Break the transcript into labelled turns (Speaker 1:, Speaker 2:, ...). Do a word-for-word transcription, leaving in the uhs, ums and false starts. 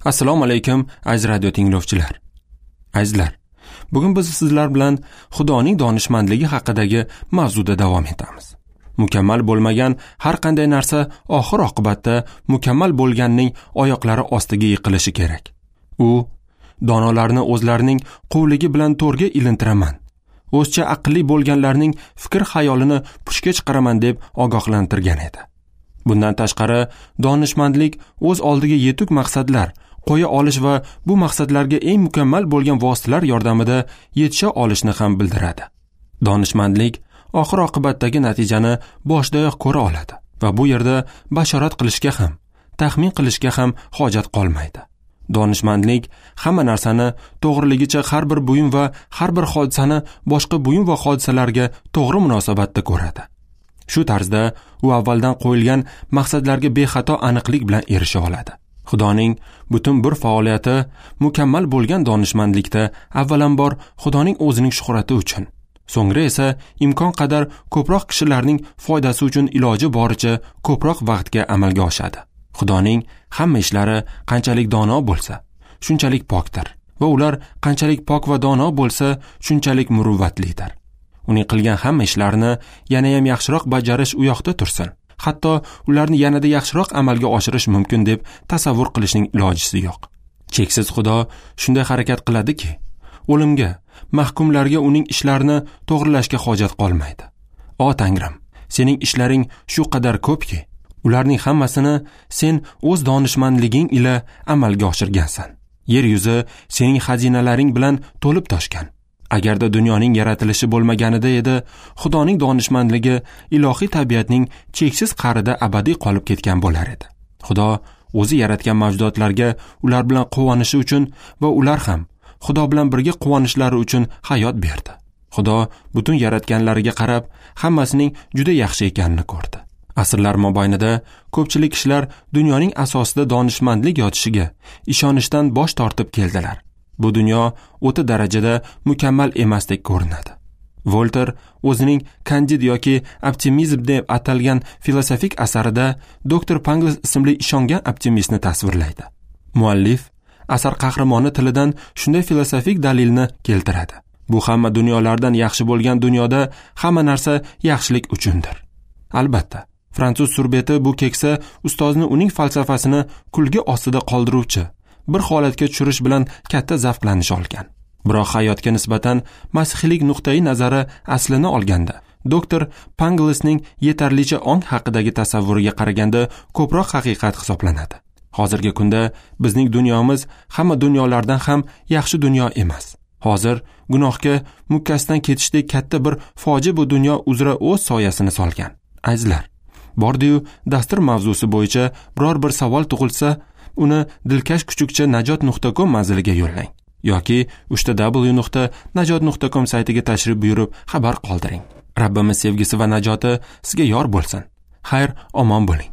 Speaker 1: Assalomu alaykum aziz radio tinglovchilar. Azizlar, bugun biz sizlar bilan Xudoning donishmandligi haqidagi mavzuda davom etamiz. Mukammal bo'lmagan har qanday narsa oxir oqibatda mukammal bo'lganning oyoqlari ostiga yiqilishi kerak. U donolarni o'zlarining quvligi bilan to'rga ilintiraman, o'zcha aqlli bo'lganlarning fikr xayolini puchga chiqaraman deb ogohlantirgan edi. Bundan tashqari, donishmandlik o'z oldiga yetuk maqsadlar qo'ya olish va bu maqsadlarga eng mukammal bo'lgan vositalar yordamida yetisha olishni ham bildiradi. Donishmandlik oxir oqibatdagi natijani boshdayoq ko'ra oladi va bu yerda bashorat qilishga ham, taxmin qilishga ham hojat qolmaydi. Donishmandlik hamma narsani to'g'riligicha, har bir buyum va har bir hodisani boshqa buyum va hodisalarga to'g'ri munosabatda ko'radi. Shu tarzda u avvaldan qo'yilgan maqsadlarga bexato aniqlik bilan erisha oladi. Xudoning butun bir faoliyati mukammal bo'lgan donishmandlikda avvalambor Xudoning o'zining shuhrati uchun, so'ngra esa imkon qadar ko'proq kishilarning foydasi uchun iloji boricha ko'proq vaqtga amalga oshadi. Xudoning hamma ishlari qanchalik dono bo'lsa, shunchalik pokdir va ular qanchalik pok va dono bo'lsa, shunchalik muruvvatlidir. Uning qilgan hamma ishlarini yana ham yaxshiroq bajarish u yoqda tursin, hatto ularni yanada yaxshiroq amalga oshirish mumkin deb tasavvur qilishning ilojisi yo'q. Cheksiz Xudo shunday harakat qiladiki, o'limga, mahkumlarga uning ishlarini to'g'rilashga hojat qolmaydi. O Tangrim, sening ishlaring shu qadar ko'pki, ularning hammasini sen o'z donishmandliging ila amalga oshirgansan. Yer yuzi sening xazinalaring bilan to'lib toshgan. Agarda dunyoning yaratilishi bo'lmaganida edi, Xudoning donishmandligi ilohiy tabiatning cheksiz qa'rida abadiy qolib ketgan bo'lar edi. Xudo o'zi yaratgan mavjudotlarga ular bilan quvonishi uchun va ular ham Xudo bilan birga quvonishlari uchun hayot berdi. Xudo butun yaratganlariga qarab, hammasining juda yaxshi ekanini ko'rdi. Asrlar mobaynida ko'pchilik kishilar dunyoning asosida donishmandlik yotishiga ishonishdan bosh tortib keldilar. Bu dunyo o'ta darajada mukammal emasdek ko'rinadi. Volter o'zining Kandid yoki optimizm deb atalgan filosofik asarida doktor Pangloss ismli ishongan optimistni tasvirlaydi. Muallif asar qahramoni tilidan shunday filosofik dalilni keltiradi. Bu hamma dunyolardan yaxshi bo'lgan dunyoda hamma narsa yaxshilik uchundir. Albatta, fransuz surbeti bu keksa ustozni uning falsafasini kulgi ostida qoldiruvchi bir holatga tushirish bilan katta zavqlanish olgan. Biroq hayotga nisbatan masihiylik nuqtai nazari aslini olganda, doktor Panglossning yetarlicha ong haqidagi tasavvuriga qaraganda ko'proq haqiqat hisoblanadi. Hozirgi kunda bizning dunyomiz hamma dunyolardan ham yaxshi dunyo emas. Hozir gunohga mukkasidan ketishdek katta bir fojia bu dunyo uzra o'z soyasini solgan. Azizlar, bordi-yu dastur mavzusi bo'yicha biror bir savol tug'ilsa, uni dilkash kuchukcha najot nuqta com manziliga yo'llang yoki uchta w nuqta najot nuqta com saytiga tashrif buyurib xabar qoldiring. Rabbimiz sevgisi va najoti sizga yor bo'lsin. Xayr, omon bo'ling.